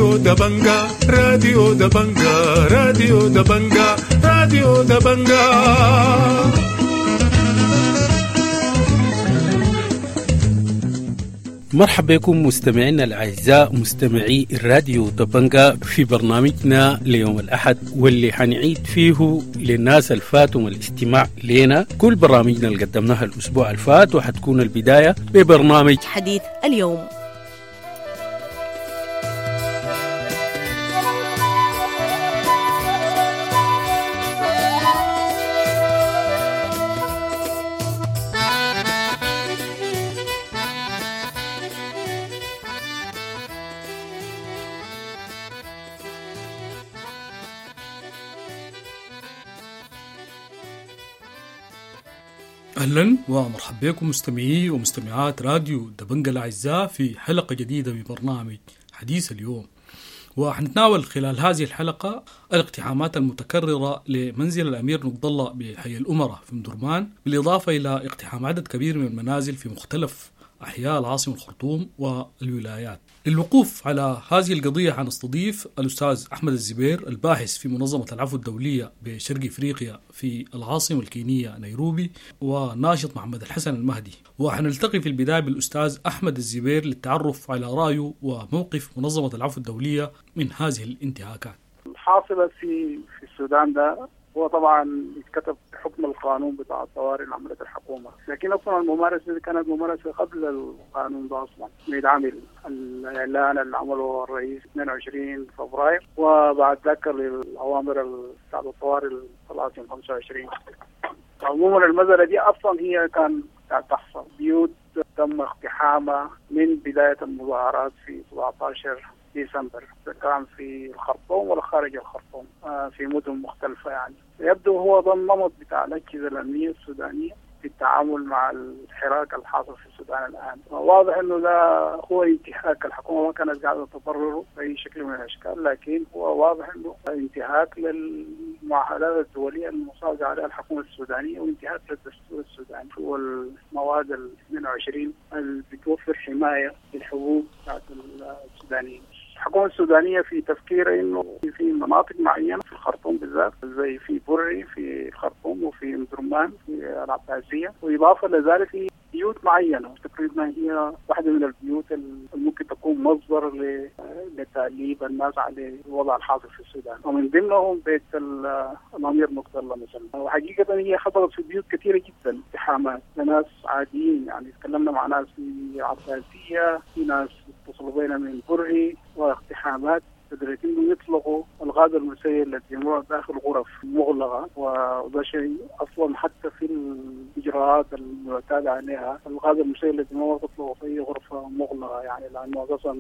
راديو دبنجا، راديو دبنجا، راديو دبنجا، راديو دبنجا. مرحبا بكم مستمعينا الأعزاء مستمعي الراديو دبنجا في برنامجنا ليوم الأحد، واللي حنعيد فيه للناس الفاتهم الاستماع لنا كل برامجنا اللي قدمناها الأسبوع الفات، وحتكون البداية ببرنامج حديث اليوم. أهلا ومرحبا بكم مستمعي ومستمعات راديو دبنجا الأعزاء في حلقة جديدة ببرنامج حديث اليوم. وحنتناول خلال هذه الحلقة الاقتحامات المتكررة لمنزل الأمير نقد الله بحي الأمراء في مدرمان، بالإضافة إلى اقتحام عدد كبير من المنازل في مختلف أحياء العاصمة الخرطوم والولايات. للوقوف على هذه القضية حنستضيف الأستاذ أحمد الزبير، الباحث في منظمة العفو الدولية بشرق إفريقيا في العاصمة الكينية نيروبي، وناشط محمد الحسن المهدي. وحنلتقي في البداية بالأستاذ أحمد الزبير للتعرف على رأيه وموقف منظمة العفو الدولية من هذه الانتهاكات الحاصلة في السودان. ده هو طبعا يتكتب حكم القانون بتاع الطوارئ اللي عملت الحكومة، لكن اصلا الممارسة دي كانت ممارسة قبل القانون ده اصلا. يتعمل الاعلان اللي عمله الرئيس 22 فبراير، وبعد ذاك الاوامر بتاعت الطوارئ طلعت يوم 25. عموما المسالة دي اصلا هي كان تحصل، بيوت تم اقتحامها من بداية المظاهرات في 17 ديسمبر، كان في الخرطوم ولا خارج الخرطوم، في مدن مختلفة. يعني يبدو هو ده النمط بتاع الأجهزة الأمنية السودانية في التعامل مع الحراك الحاصل في السودان الآن. واضح أنه ده هو انتهاك، الحكومة ما كانت قاعدة تبرره بأي شكل من الأشكال، لكن هو واضح أنه انتهاك للمعاهدات الدولية المصادقة عليها الحكومة السودانية، وانتهاك للدستور السوداني والمواد ال 22 اللي بتوفر حماية للحقوق بتاعت السودانيين. الحكومة السودانية في تفكير إنه في مناطق معينة في الخرطوم بالذات، زي في بري في الخرطوم وفي مدرمان في العباسية، وإضافة لذلك في بيوت معينة تقريبا هي واحدة من البيوت اللي ممكن تكون مصدر لتأليب الناس على الوضع الحاصل في السودان، ومن ضمنهم بيت الأمير نقد الله مثلا. وحقيقة هي حصلت في بيوت كثيرة جدا اقتحامات لناس عاديين، يعني تكلمنا مع ناس في العباسية، في ناس اتصلوا بينا من بري، واقتحامات لدرجة انهم يطلقوا الغاز المسيل للدموع داخل غرف مغلقة، وده شيء اصلا حتى في الاجراءات المعتاد عليها الغاز المسيل للدموع تطلقه في اي غرفة مغلقة، يعني لانه اساسا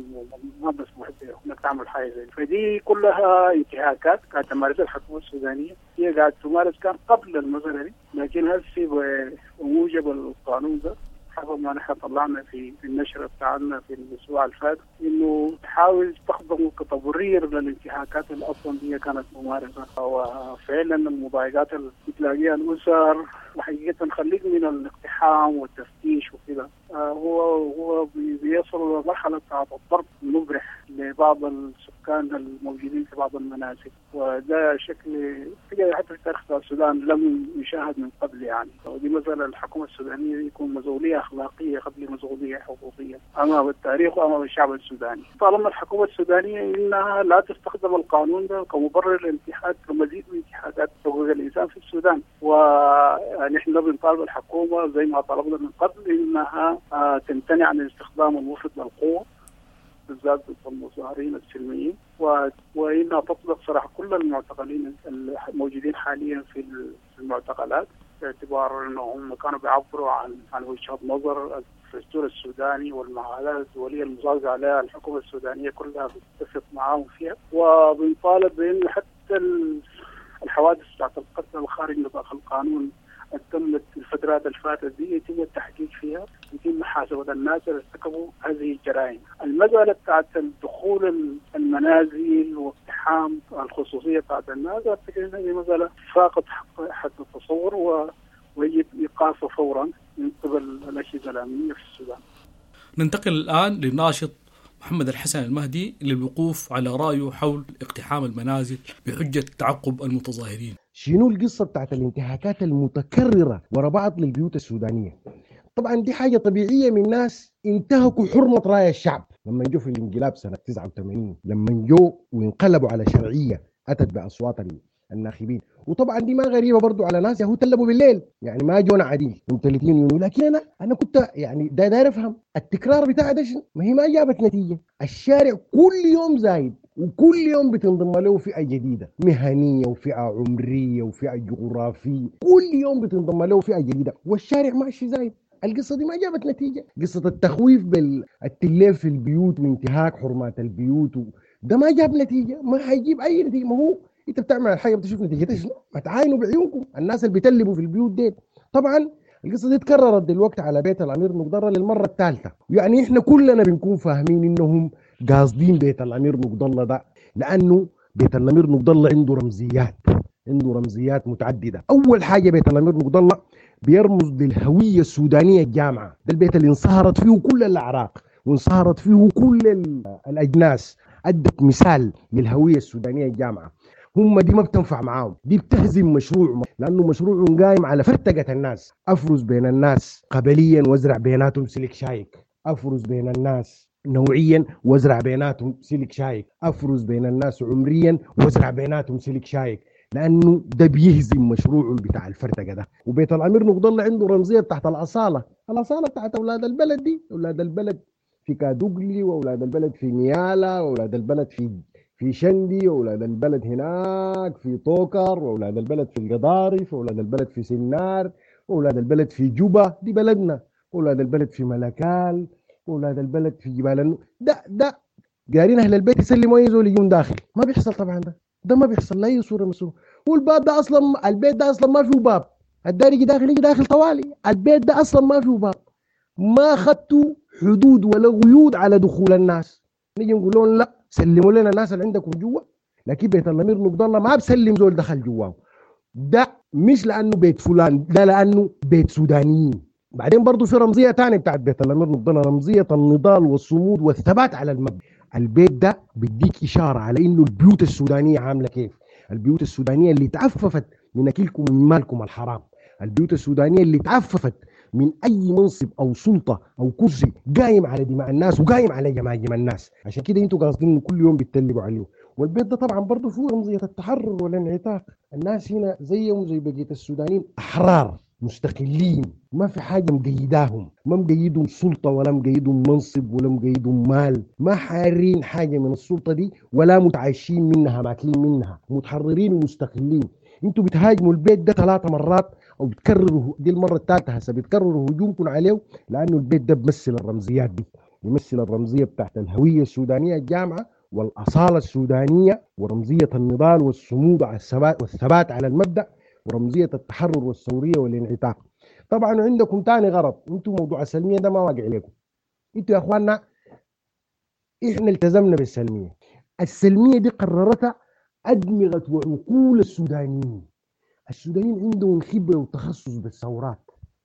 ما مسموح انك تعمل حاجة زي. فدي كلها انتهاكات كانت تمارسها الحكومة السودانية، هي قاعدة تمارس كان قبل المسالة دي، لكن هسه بموجب القانون ده حسب ما نحن طلعنا في النشرة بتاعنا في الأسبوع الفات، إنه تحاول تستخدمه كتبرير للانتهاكات اللي أصلا هي كانت ممارسة. وفعلا المضايقات اللي بتلاقيها الأسر، وحقيقة خليك من الاقتحام والتفتيش وكذا، هو بيصل لمرحلة بتاعت الضرب المبرح لبعض السكان الموجودين في بعض المنازل، وده شكل حتى في تاريخ السودان لم يشاهد من قبل. يعني ودي مثلا الحكومة السودانية يكون مسؤولية أخلاقية قبل مسؤولية حقوقية أمام التاريخ وأمام الشعب السوداني. طالما الحكومة السودانية إنها لا تستخدم القانون ده كمبرر لانتهاك ومزيد من انتهاكات حقوق الإنسان في السودان، ونحن بنطالب الحكومة زي ما طلبنا من قبل إنها تمتنع عن الاستخدام المفرط للقوة بالذات ضد المظاهرين السلميين، وإنها تطلق سراح كل المعتقلين الموجودين حاليا في المعتقلات، باعتبار أنهم كانوا بيعبروا عن وجهة نظر الدستور السوداني والمعاهدات الدولية المصادقة عليها الحكومة السودانية كلها بتتفق معاهم فيها. وبنطالب بأن حتى الحوادث بتاعت القتل الخارج نطاق القانون تمت الفترات الفاتت دي يتم التحقيق فيها، يتم محاسبة الناس اللي ارتكبوا هذه الجرائم. المسألة بتاعت دخول المنازل واقتحام الخصوصية بتاعت الناس، أعتقد إن هذه مسألة فاقت حد التصور ويجب إيقافها فورا من قبل الأجهزة الأمنية في السودان. ننتقل الآن للناشط محمد الحسن المهدي للوقوف على رأيه حول اقتحام المنازل بحجة تعقب المتظاهرين. شنو القصة بتاعت الانتهاكات المتكررة ورا بعض للبيوت السودانية؟ طبعا دي حاجة طبيعية من ناس انتهكوا حرمة راي الشعب لما جو في الانقلاب سنة 89، لما جو وانقلبوا على شرعية أتت بأصوات الناخبين. وطبعا دي ما غريبة برضو على ناس يهو تلبوا بالليل، يعني ما جونا عديل من 30 يونيو. لكن انا كنت يعني داير افهم التكرار بتاع ده شنو؟ ما هي ما جابت نتيجة. الشارع كل يوم زايد، وكل يوم بتنضم له فئة جديدة، مهنية وفئه عمرية وفئه جغرافية، كل يوم بتنضم له فئة جديدة والشارع ماشي زايد. القصة دي ما جابت نتيجة. قصة التخويف بالتليف في البيوت وانتهاك حرمات البيوت ده ما جاب نتيجة، ما حيجيب اي نتيجة. ما هو انت بتعمل الحاجة بتشوف نتيجتها شنو؟ ما تعاينوا بعيونكم الناس اللي بيتلبوا في البيوت دي. طبعا القصة دي اتكررت دلوقتي على بيت الامير نقد الله للمرة الثالثة، يعني احنا كلنا بنكون فاهمين انهم قاصدين بيت الامير نقد الله ده، لانه بيت الامير نقد الله عنده رمزيات، عنده رمزيات متعددة. اول حاجة بيت الامير نقد الله بيرمز للهوية السودانية الجامعة، ده البيت اللي انصهرت فيه كل الاعراق وانصهرت فيه كل الاجناس، ادت مثال للهوية السودانية الجامعة. هم دي ما بتنفع معاهم، دي بتهزم مشروع، لانه مشروع قايم على فرتقه الناس. افرز بين الناس قبليا وازرع بيناتهم سلك شايك، افرز بين الناس نوعيا وازرع بيناتهم سلك شايك، افرز بين الناس عمريا وازرع بيناتهم سلك شايك، لانه ده بيهزم مشروعهم بتاع الفرتقه ده. وبيت الامير نقد الله عنده رمزية تحت الاصالة، الاصالة بتاعت اولاد البلد دي، اولاد البلد في كادوغلي، واولاد البلد في نيالا، واولاد البلد في شندي، واولاد البلد هناك في طوكر، واولاد البلد في القضارف، واولاد البلد في سنار، واولاد البلد في جوبا، دي بلدنا، واولاد البلد في ملكال، واولاد البلد في جبال ده قارين اهل البيت يسلموا اي زول يجون داخل. ما بيحصل طبعا، ده ما بيحصل لاي صوره مسؤول. والباب ده اصلا، البيت ده اصلا ما فيه باب، الدار يجي داخل يجي داخل طوالي، البيت ده اصلا ما فيه باب، ما خدتوا حدود ولا قيود على دخول الناس. نيجي نقول لهم لا سلموا لنا الناس اللي عندكم جوا، لكن بيت الامير نقد الله ما بسلم زول دخل جواه. ده مش لانه بيت فلان، ده لانه بيت سودانيين. بعدين برضه في رمزية ثانية بتاعت بيت الامير نقد الله، رمزية النضال والصمود والثبات على المبدا. البيت ده بيديك اشارة على انه البيوت السودانية عامله كيف، البيوت السودانية اللي تعففت من اكلكم ومن مالكم الحرام، البيوت السودانية اللي تعففت من اي منصب او سلطة او كرسي قايم على دماء الناس وقايم على جماجم الناس. عشان كده انتوا قاصدين كل يوم بتتلبوا عليه. والبيت ده طبعا برضه فيه رمزية التحرر والانعتاق. الناس هنا زيهم زي بقية السودانيين احرار مستقلين، ما في حاجة مقيداهم، ما مقيدهم سلطة ولا مقيدهم منصب ولا مقيدهم مال، ما حارين حاجة من السلطة دي ولا متعايشين منها، ماكلين منها، متحررين ومستقلين. انتوا بتهاجموا البيت ده 3 مرات او بتكرروا، دي المرة الثالثة هسه بتكرروا هجومكم عليه، لانه البيت ده بيمثل الرمزيات دي، بيمثل الرمزية بتاعت الهوية السودانية الجامعة والاصاله السودانية ورمزيه النضال والصمود على الثبات والثبات على المبدا ورمزيه التحرر والثوريه والانعتاق. طبعا عندكم ثاني غرض، انتم موضوع السلمية ده ما واقع لكم. انتوا يا اخواننا احنا التزمنا بالسلميه، السلمية دي قررتها ادمغه وعقول السودانيين. السودانيين عندهم خبره وتخصص بالثورات،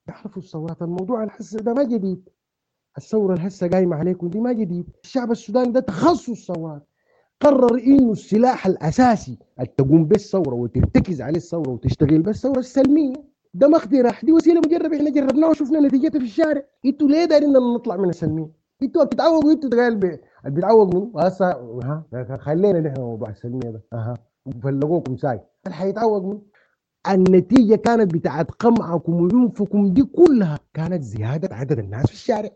يعرفوا الثورات. الموضوع الحس ده ما جديد، الثورة الهسه قايمة عليكم دي ما جديد. الشعب السوداني ده تخصص ثورات، قرر انه السلاح الاساسي اللي تقوم به الثورة وترتكز عليه الثورة وتشتغل به الثورة السلمية. ده ما اقتراح، دي وسيلة مجربه، احنا جربناها وشفنا نتيجتها في الشارع. انتوا ليه دايرين نطلع من السلمية؟ انتوا بتتعوقوا، انتوا قال اللي بيتعوق منه هسه ها خلينا نحن موضوع السلمية ده اها وفلقوكم ساي، اللي حيتعوق منه. النتيجة كانت بتاعت قمعكم وعنفكم دي كلها كانت زيادة عدد الناس في الشارع.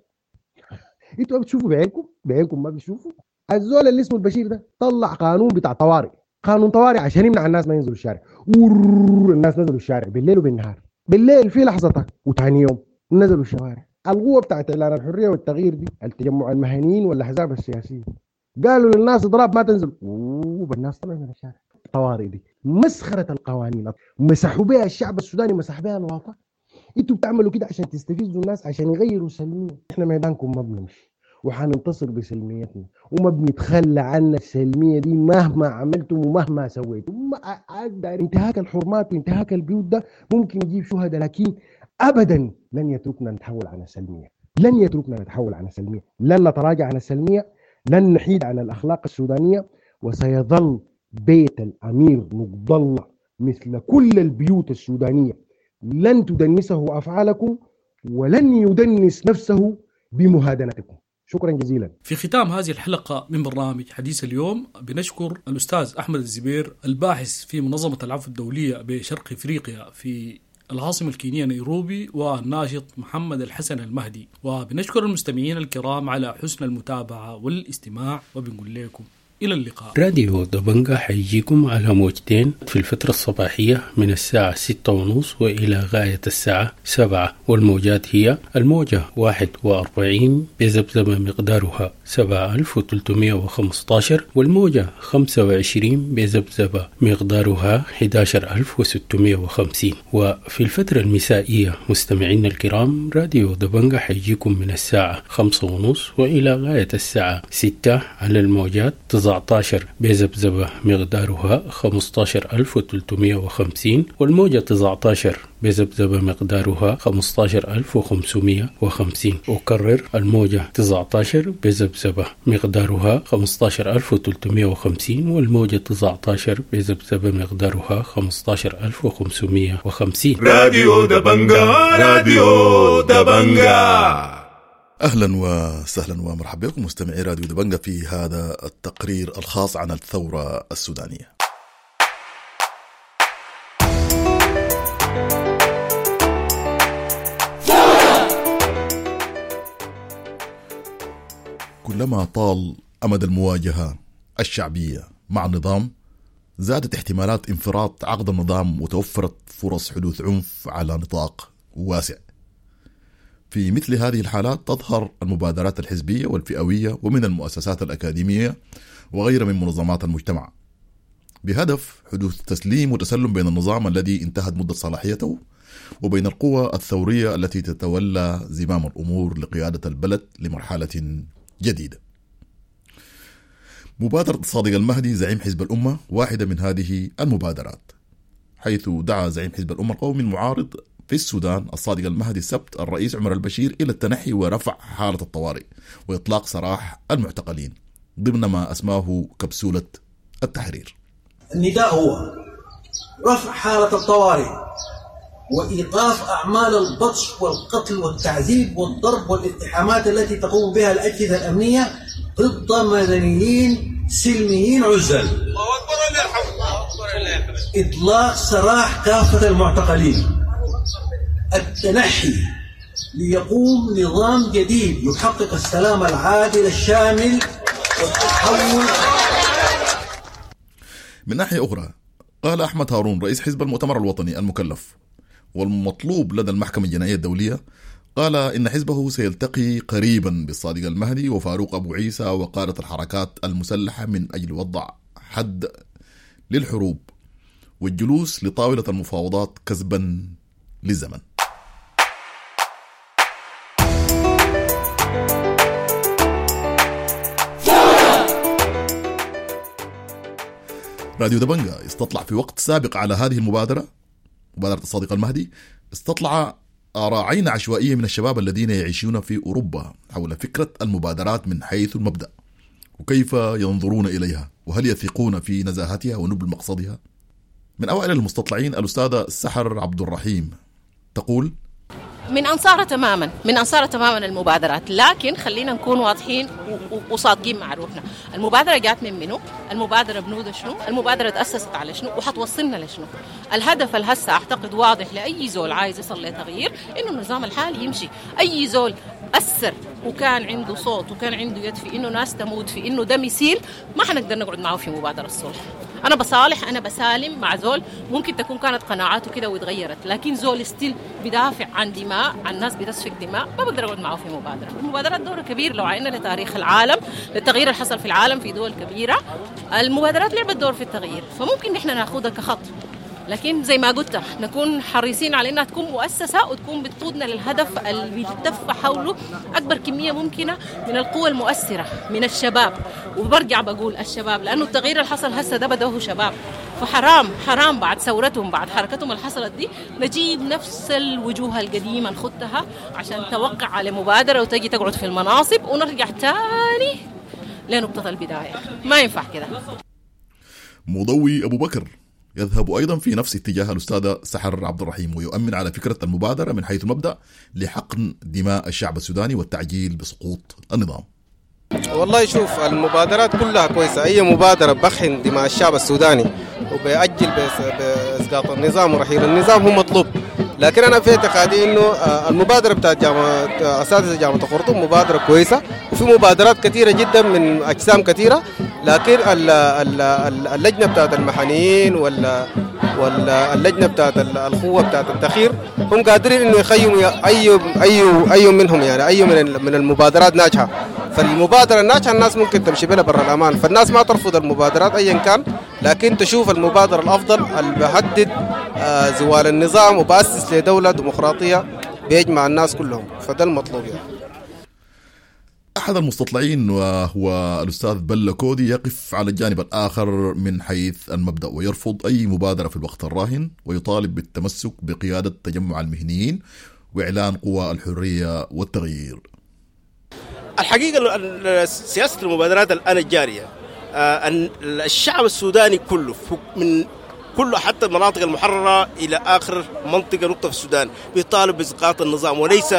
انتوا بتشوفوا بعينكم، بعينكم ما بتشوفوا. الزول اللي اسمه البشير ده طلع قانون بتاع طوارئ، قانون طوارئ عشان يمنع الناس ما ينزلوا الشارع. الناس نزلوا الشارع بالليل وبالنهار، بالليل في لحظتها وثاني يوم نزلوا الشوارع. القوة بتاعت اعلان الحرية والتغيير دي، التجمع المهنيين والاحزاب السياسية، قالوا للناس اضراب ما تنزل، والناس طلعوا من الشارع. الطوارئ دي مسخرة القوانين، مسحوا بها الشعب السوداني، مسح بها الواقع. انتوا بتعملوا كده عشان تستفزوا الناس عشان يغيروا سلمية. احنا ميدانكم ما بنمشي وحننتصر بسلميتنا وما بنتخلى عن السلمية دي مهما عملتم ومهما سويتم. انتهاك الحرمات وانتهاك البيوت ده ممكن يجيب شهداء، لكن ابدا لن يتركنا نتحول عن السلمية، لن يتركنا نتحول عن السلمية، لن نتراجع عن السلمية، لن نحيد عن الأخلاق السودانية، وسيظل بيت الأمير نقد الله مثل كل البيوت السودانية، لن تدنسه أفعالكم ولن يدنس نفسه بمهادنتكم. شكرا جزيلا. في ختام هذه الحلقة من برنامج حديث اليوم بنشكر الأستاذ أحمد الزبير الباحث في منظمة العفو الدولية بشرق إفريقيا في العاصمة الكينية نيروبي، والناشط محمد الحسن المهدي، وبنشكر المستمعين الكرام على حسن المتابعة والاستماع، وبنقول لكم إلى اللقاء. راديو دبنجا حيجيكم على موجتين في الفترة الصباحية من الساعة 6:30 وإلى غاية الساعة 7، والموجات هي الموجة 41 بذبذبة مقدارها 7315، والموجة 25 بذبذبة مقدارها 11650. وفي الفترة المسائية مستمعينا الكرام راديو دبنجا حيجيكم من الساعة 5:30 وإلى غاية الساعة 6 على الموجات 19 بذبذبة مقدارها 15350، والموجة 19 بذبذبة مقدارها 15550. أكرر، الموجة 19 بذبذبة مقدارها 15350، والموجة 19 بذبذبة مقدارها 15550. راديو دبنجا، راديو دبنجا. أهلا وسهلا ومرحبا بكم مستمعي راديو دبنجا في هذا التقرير الخاص عن الثورة السودانية. كلما طال أمد المواجهة الشعبية مع النظام زادت احتمالات انفراط عقد النظام وتوفرت فرص حدوث عنف على نطاق واسع. في مثل هذه الحالات تظهر المبادرات الحزبية والفئوية ومن المؤسسات الأكاديمية وغيرها من منظمات المجتمع بهدف حدوث تسليم وتسلم بين النظام الذي انتهت مدة صلاحيته وبين القوى الثورية التي تتولى زمام الأمور لقيادة البلد لمرحلة جديدة. مبادرة الصادق المهدي زعيم حزب الأمة واحدة من هذه المبادرات، حيث دعا زعيم حزب الأمة القومي المعارض في السودان الصادق المهدي السبت الرئيس عمر البشير إلى التنحي ورفع حالة الطوارئ وإطلاق سراح المعتقلين ضمن ما أسماه كبسولة التحرير. النداء هو رفع حالة الطوارئ وإيقاف أعمال البطش والقتل والتعذيب والضرب والاقتحامات التي تقوم بها الأجهزة الأمنية ضد مدنيين سلميين عزل. إطلاق سراح كافة المعتقلين، التنحي ليقوم نظام جديد يحقق السلام العادل الشامل والتحول. من ناحية أخرى قال أحمد هارون رئيس حزب المؤتمر الوطني المكلف والمطلوب لدى المحكمة الجنائية الدولية، قال إن حزبه سيلتقي قريبا بالصادق المهدي وفاروق أبو عيسى وقادة الحركات المسلحة من أجل وضع حد للحروب والجلوس لطاولة المفاوضات كسبا للزمن. راديو دبنجا استطلع في وقت سابق على هذه المبادرة، مبادرة الصادق المهدي، استطلع آراء عشوائية من الشباب الذين يعيشون في أوروبا حول فكرة المبادرات من حيث المبدأ وكيف ينظرون إليها وهل يثقون في نزاهتها ونبل مقصدها. من أوائل المستطلعين الأستاذة سحر عبد الرحيم تقول: من أنصار تماما، من أنصار تماما المبادرات، لكن خلينا نكون واضحين وصادقين مع روحنا. المبادرة جات من منو؟ المبادرة بنودة شنو؟ المبادرة تأسست على شنو؟ وحتوصلنا لشنو؟ الهدف الهسه أعتقد واضح لأي زول عايز يصل لتغيير، إنه النظام الحالي يمشي. أي زول أثر وكان عنده صوت وكان عنده يد في إنه ناس تموت، في إنه دم يسيل، ما حنقدر نقعد معه في مبادرة الصلح. أنا بصالح، أنا بسالم مع زول ممكن تكون كانت قناعاته كده وتغيرت، لكن زول still بدافع عن دماء، عن ناس بتسفك دماء، ما بقدر أقعد معه في مبادرة. المبادرات دور كبير لو عينا لتاريخ العالم، للتغيير اللي حصل في العالم في دول كبيرة، المبادرات لعبت دور في التغيير، فممكن نحن ناخدها كخط، لكن زي ما قلت نكون حريصين على انها تكون مؤسسه وتكون بتقودنا للهدف اللي بيلتف حوله اكبر كميه ممكنه من القوى المؤثره من الشباب. وبرجع بقول الشباب لانه التغيير اللي حصل هسه ده بدأه شباب، فحرام حرام بعد ثورتهم بعد حركتهم اللي حصلت دي نجيب نفس الوجوه القديمه نخدها عشان توقع على مبادره وتجي تقعد في المناصب ونرجع تاني لنقطة البداية، ما ينفع كده. مضوي أبو بكر يذهب أيضا في نفس اتجاه الأستاذة سحر عبد الرحيم، ويؤمن على فكرة المبادرة من حيث المبدأ لحقن دماء الشعب السوداني والتعجيل بسقوط النظام. والله شوف، المبادرات كلها كويسة، أي مبادرة بحقن دماء الشعب السوداني وبيأجل بإسقاط النظام ورحيل النظام هو مطلوب. لكن أنا في اعتقادي إنه المبادرة بتاعت جامعة أساتذة جامعة الخرطوم مبادرة كويسة، وفي مبادرات كثيرة جدا من أجسام كثيرة، لكن اللجنة بتاعت المحنيين واللجنة بتاعت القوة بتاعت التخير هم قادرين إنه يخيموا أي منهم، يعني أي من المبادرات ناجحة. فالمبادرة الناجحة الناس ممكن تمشي بها برا الأمان، فالناس ما ترفض المبادرات أيا كان، لكن تشوف المبادرة الأفضل اللي بهدد زوال النظام وبأسس لدولة ديمقراطية بيجمع الناس كلهم، فده المطلوب يعني. أحد المستطلعين وهو الأستاذ بلا كودي يقف على الجانب الآخر من حيث المبدأ، ويرفض أي مبادرة في الوقت الراهن، ويطالب بالتمسك بقيادة تجمع المهنيين وإعلان قوى الحرية والتغيير. الحقيقة سياسة المبادرات الآن الجارية، الشعب السوداني كله من كله حتى المناطق المحررة إلى آخر منطقة نقطة في السودان بيطالب بإسقاط النظام وليس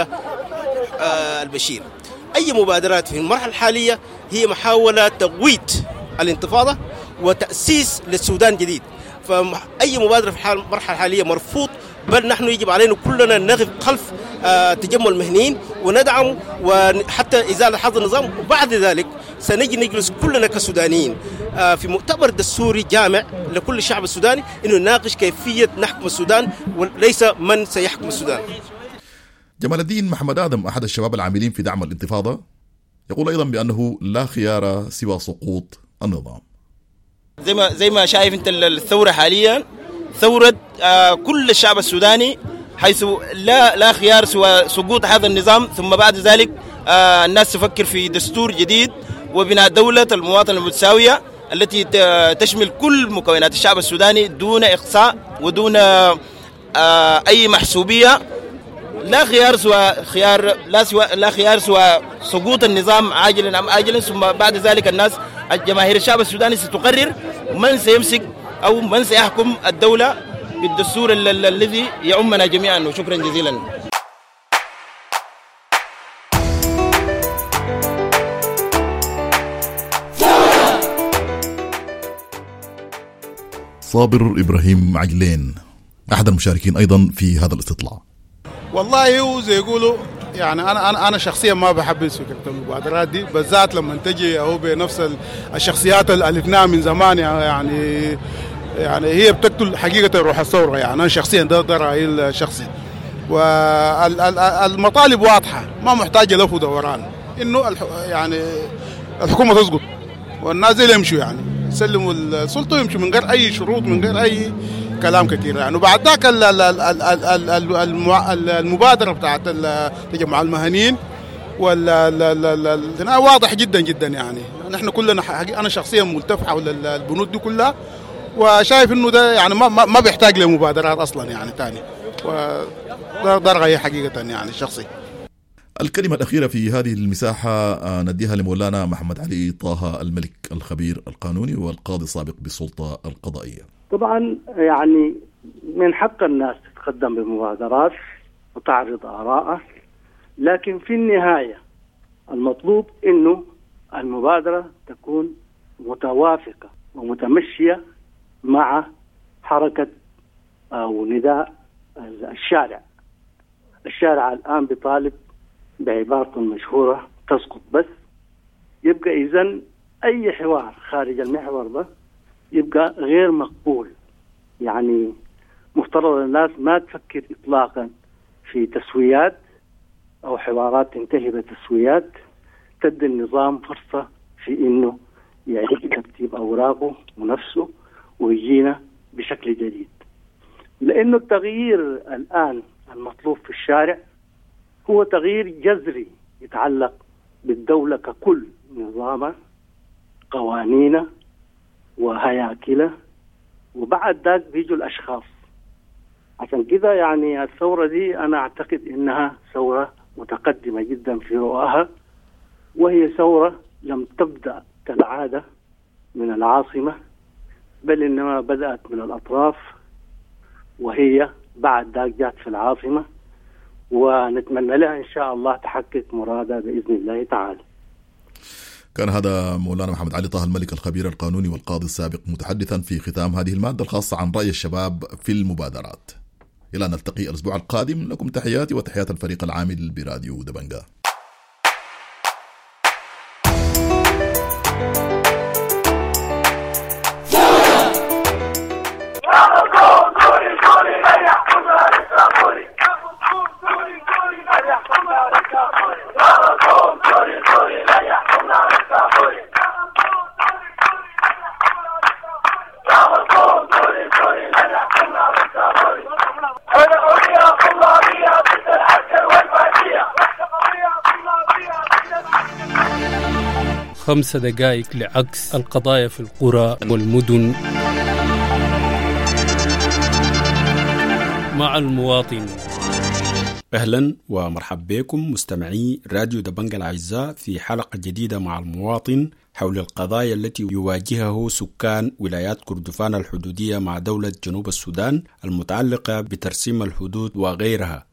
البشير. أي مبادرات في المرحلة الحالية هي محاولة تقويت الانتفاضة وتأسيس للسودان جديد، فأي مبادرة في المرحلة الحالية مرفوض، بل نحن يجب علينا كلنا نقف خلف تجمع المهنيين وندعم وحتى إزالة هذا النظام، وبعد ذلك سنجي نجلس كلنا كسودانيين في مؤتمر دستوري جامع لكل الشعب السوداني إنه نناقش كيفية نحكم السودان وليس من سيحكم السودان. جمال الدين محمد آدم أحد الشباب العاملين في دعم الانتفاضة يقول أيضا بأنه لا خيار سوى سقوط النظام. زي ما شايف أنت الثورة حاليا ثورة كل الشعب السوداني، حيث لا خيار سوى سقوط هذا النظام، ثم بعد ذلك الناس تفكر في دستور جديد وبناء دولة المواطنة المتساوية التي تشمل كل مكونات الشعب السوداني دون إقصاء ودون أي محسوبية. لا خيار سوى خيار لا خيار سوى سقوط النظام عاجلا أم آجلا، ثم بعد ذلك الناس الجماهير الشعب السوداني ستقرر من سيمسك أو من سيحكم الدولة بالدستور الذي يعمنا جميعا. وشكرا جزيلا. صابر إبراهيم عجلين أحد المشاركين أيضا في هذا الاستطلاع. والله هو زي يقولوا يعني انا شخصيا ما بحب فكرة المبادرات دي، بالذات لما تجي هو بنفس الشخصيات اللي الفناها من زمان، يعني هي بتقتل حقيقة روح الثورة. يعني انا شخصيا ده رايي الشخصي، والمطالب واضحة ما محتاجه لف ودوران، انه يعني الحكومة تسقط والناس دي يمشوا، يعني يسلموا السلطة ويمشوا من غير اي شروط، من غير اي كلام كثير يعني. وبعد ذاك المبادرة بتاعت تجمع المهنيين وال واضح جدا جدا، يعني نحن كلنا، انا شخصيا ملتف حول البنود دي كلها، وشايف انه ده يعني ما بيحتاج لمبادرات اصلا يعني ثاني، وده رايي حقيقة يعني الشخصي. الكلمة الأخيرة في هذه المساحة نديها لمولانا محمد علي طه الملك الخبير القانوني والقاضي السابق بالسلطة القضائية. طبعا يعني من حق الناس تتقدم بمبادرات وتعرض آراءها، لكن في النهاية المطلوب إنه المبادرة تكون متوافقة ومتمشية مع حركة أو نداء الشارع. الشارع الآن بيطالب بعبارته المشهورة تسقط بس، يبقى إذن أي حوار خارج المحور ده يبقى غير مقبول. يعني مفترض الناس ما تفكر إطلاقا في تسويات أو حوارات تنتهي بتسويات تدي النظام فرصة في إنه يعيد ترتيب أوراقه ونفسه ويجينا بشكل جديد، لأنه التغيير الآن المطلوب في الشارع هو تغيير جذري يتعلق بالدولة ككل، نظامها، قوانينها، وهياكله، وبعد ذاك بيجوا الأشخاص. عشان كده يعني الثورة دي أنا أعتقد إنها ثورة متقدمة جدا في رؤاها، وهي ثورة لم تبدأ كالعادة من العاصمة، بل إنما بدأت من الأطراف، وهي بعد ذاك جات في العاصمة، ونتمنى لها إن شاء الله تحقق مرادها بإذن الله تعالى. كان هذا مولانا محمد علي طه الملك الخبير القانوني والقاضي السابق متحدثا في ختام هذه المادة الخاصة عن رأي الشباب في المبادرات. إلى أن نلتقي الأسبوع القادم، لكم تحياتي وتحيات الفريق العامل براديو دبنجا. خمس دقائق لعكس القضايا في القرى والمدن مع المواطن. أهلا ومرحبا بكم مستمعي راديو دبنجا الأعزاء في حلقة جديدة مع المواطن حول القضايا التي يواجهه سكان ولايات كردفان الحدودية مع دولة جنوب السودان المتعلقة بترسيم الحدود وغيرها.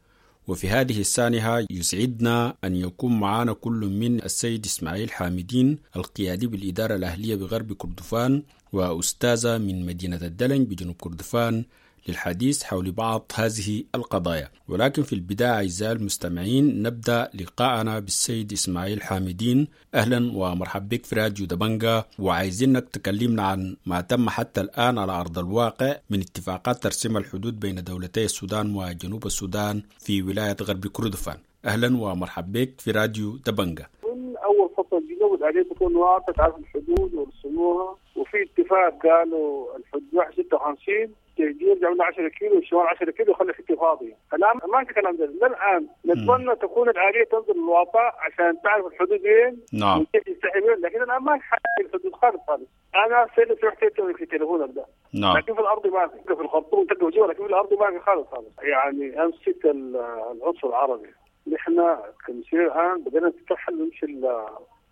وفي هذه السانحة يسعدنا أن يكون معنا كل من السيد إسماعيل حامدين القيادي بالإدارة الأهلية بغرب كردفان، وأستاذة من مدينة الدلنج بجنوب كردفان للحديث حول بعض هذه القضايا. ولكن في البداية أعزائي المستمعين نبدأ لقاءنا بالسيد إسماعيل حامدين. أهلا ومرحبا بك في راديو دبنجا، وعايزينك تكلمنا عن ما تم حتى الآن على أرض الواقع من اتفاقات ترسيم الحدود بين دولتي السودان وجنوب السودان في ولاية غرب كردفان. أهلا ومرحبا بك في راديو دبنجا. من أول فصل الجنوب الآلية تكون واضحة، تعرف الحدود ورسموها، وفي اتفاق قالوا الحدود 56 يرجع من 10 كيلو والشمال 10 كيلو وخلي حته فاضيه. الان ما في كلام ده الان. نتمنى تكون الآلية تنزل الواقع عشان تعرف الحدود وين. نعم. وكيف يستحي وين، لكن الان ما في حاجه الحدود خالص خالص. انا سألت رحت في تليفونك ده. نعم. لكن في الارض ما في، في الخرطوم تلقى جوا، لكن في الارض ما في خالص خالص. يعني امسك العنصر العربي. نحن كمسير الان بدنا نترحل نمشي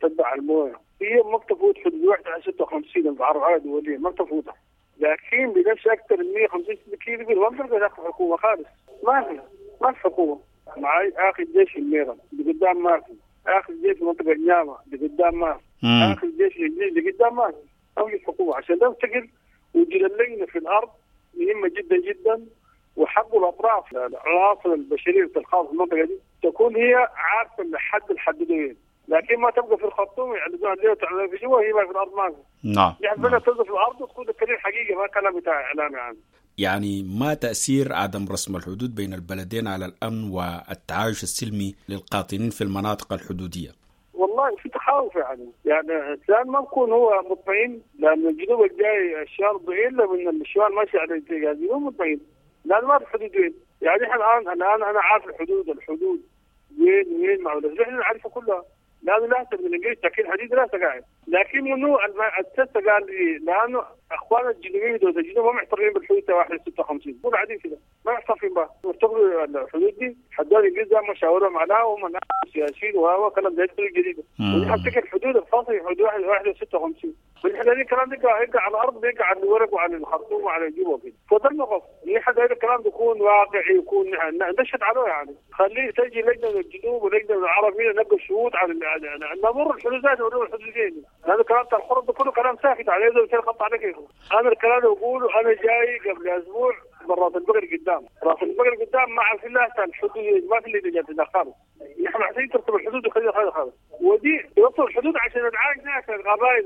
تتبع المويه. هي ما بتفوت حدود 1 56 العرب الدوليه ما بتفوتها. لكن بنمشي اكثر من 150 كيلو ما بتلقى داخل الحكومه خالص. ما في حكومه. معي اخر جيش الميرم اللي قدام ما في، اخر جيش منطقه النيامه اللي قدام ما في، اخر جيش الجديد اللي قدام ما في. اوجد حكومه عشان ده تقل وجود اللجنه في الارض مهمه جدا جدا، وحق الاطراف العناصر البشريه الخاصه في المنطقه دي تكون هي عارفه الحد الحدودين، لكن ما تبقى في الخرطوم يعلنوها ليه وتعلنوها في جوا، هي ما في الارض ما في. نعم. يعني بدها تنزل في الارض وتكون الكلام حقيقي ما كلام بتاع اعلام. يعني ما تأثير عدم رسم الحدود بين البلدين على الأمن والتعايش السلمي للقاطنين في المناطق الحدودية؟ والله في تخاوف يعني الإنسان ما بكون هو مطمئن، لأن الجنوب الجاي الشمال ضئيل، من الشمال ماشي على الاتجاه الجنوب مطمئن، لأن ما في حدود وين. يعني احنا الآن أنا عارف الحدود وين مع احنا نعرفها كلها، لأنه لا من الإنجليز تأكيد حديد لا قاعد، لكن منو التست قال لي لأنه أخوان الجنوبيين دول الجنوب ما معترفين بالحدود 1 56 قول عادي كده ما معترفين بها، مرتبطوا الحدود دي حدود الإنجليز ما شاورهم عليها وهم سياسيين وهو كلام زي الحدود الجديدة، ونحن افتكر الحدود الفاصلة حدود 1 56، ونحن هذا الكلام ده يقع على الأرض، بيقع على الورق وعلى الخرطوم وعلى الجوبة كده. فده الموقف نحن هذا الكلام بيكون واقعي، يكون نشهد عليه يعني، خليه تجي لجنة من الجنوب ولجنة من العرب هنا نبقى شهود على نمر الحدود ذاتها ونمر الحدود. هذا الكلام بتاع الخرط ده كله كلام ساكت عليه زي خط عليك. انا الكلام اللي بقوله انا جاي قبل اسبوع من راس البقر قدام، راس البقر قدام ما عارفين لها الحدود، ما في اللي جات خالص. نحن محتاجين ترتب الحدود وخليها خالص خالص، ودي يوصل الحدود عشان نتعايش ناس القبائل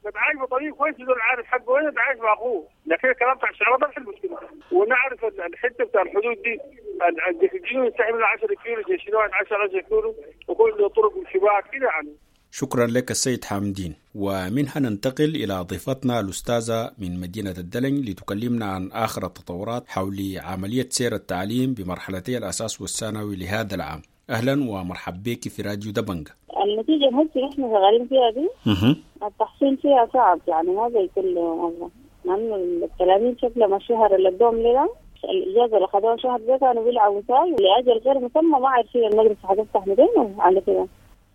نتعايش بطريقه كويسه، زول عارف حقه وين نتعايش مع اخوه. لكن الكلام بتاع الشعراء ده الحل المشكله، ونعرف الحته بتاع الحدود دي الجنوب ينسحب من 10 كيلو جيش 10 كيلو وكل طرق وشباك كده يعني. شكرا لك السيد حامدين. ومنها ننتقل إلى ضيفتنا الأستاذة من مدينة الدلنج لتكلمنا عن آخر التطورات حول عملية سير التعليم بمرحلتي الأساس والثانوي لهذا العام. أهلا ومرحبا بك في راديو دبنجا. النتيجة الهسه نحن شغالين فيها دي التحصيل فيها صعب، يعني ما زي كل مرة، لأنه التلاميذ شكلهم الشهر اللي ادوهم لنا الإجازة اللي خدوها شهر ده كانوا بيلعبوا ساي لأجل غير مسمى، ما عارفين المدرسة حتفتح متين على كده.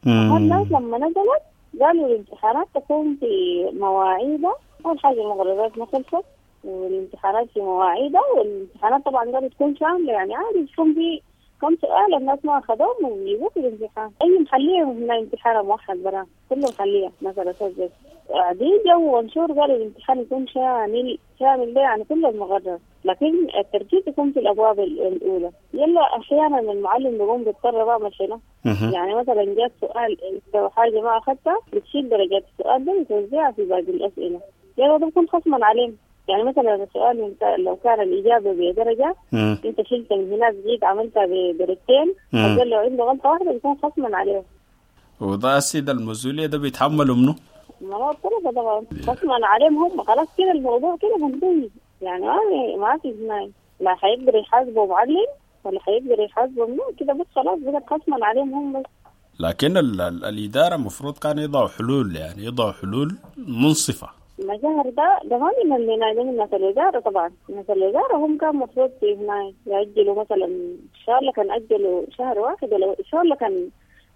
الناس لما نزلت قالوا الامتحانات تكون في مواعيدها. أول حاجة المقررات ما خلصت والامتحانات في مواعيدها، والامتحانات طبعا قالوا تكون شاملة، يعني عادي تكون في كم سؤال الناس ما أخذوهم ويجيبوه في الامتحان. أي محلية من امتحان موحد برا، كله محلية مثلا سجل دي جو منشور قالوا الامتحان يكون شامل، شامل ده يعني كل المقرر، لكن التركيز يكون في الأبواب الأولى. يلا أحيانا المعلم بيقوم بيضطر بعمل شنو؟ يعني مثلا جاء سؤال لو حاجة ما أخذتها بتشيل درجات السؤال ده وتوزعها في باقي الأسئلة، يلا ده بيكون خصما عليهم. يعني مثلا السؤال لو كان الإجابة بدرجة أنت شلت من هناك جيت عملتها بدرجتين، لو عنده غلطة واحدة بيكون خصما عليه. وده السيد المسؤولية ده بيتحملوا منه؟ ما هو الطلبة طبعا خصما عليهم هم، خلاص كده الموضوع كده منتهي، يعني ما في هناك لا حيقدر يحاسبوا معلم ولا حيقدر يحاسبوا منه كده، بس خلاص بقت خصما عليهم هم بس. لكن الإدارة المفروض كان يضعوا حلول، يعني يضعوا حلول منصفة. المظاهر ده ما من اللي ده من ناس الوزارة طبعا، ناس الوزارة هم كان مفروض في هنا يأجلوا مثلا، إن شاء الله كان أجلوا شهر واحد، ولا إن شاء الله كان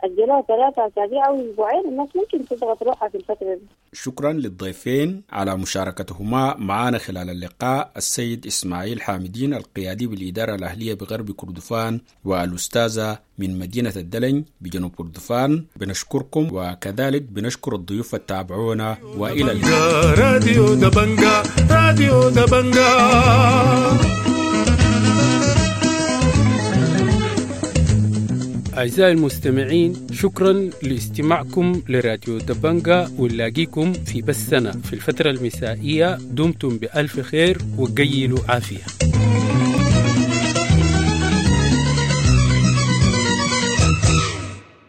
أجلوها 3 أسابيع أو أسبوعين، الناس ممكن تضغط روحها في الفترة دي. شكرا للضيفين على مشاركتهما معنا خلال اللقاء، السيد إسماعيل حامدين القيادي بالإدارة الأهلية بغرب كردفان، والأستاذة من مدينة الدلنج بجنوب كردفان. بنشكركم، وكذلك بنشكر الضيوف التابعونا، وإلى اللقاء. راديو دبنجا، راديو دبنجا. أعزائي المستمعين، شكرا لاستماعكم لراديو دبنجا، ونلاقيكم في بثنا في الفترة المسائية. دمتم بألف خير وقيلوا عافية.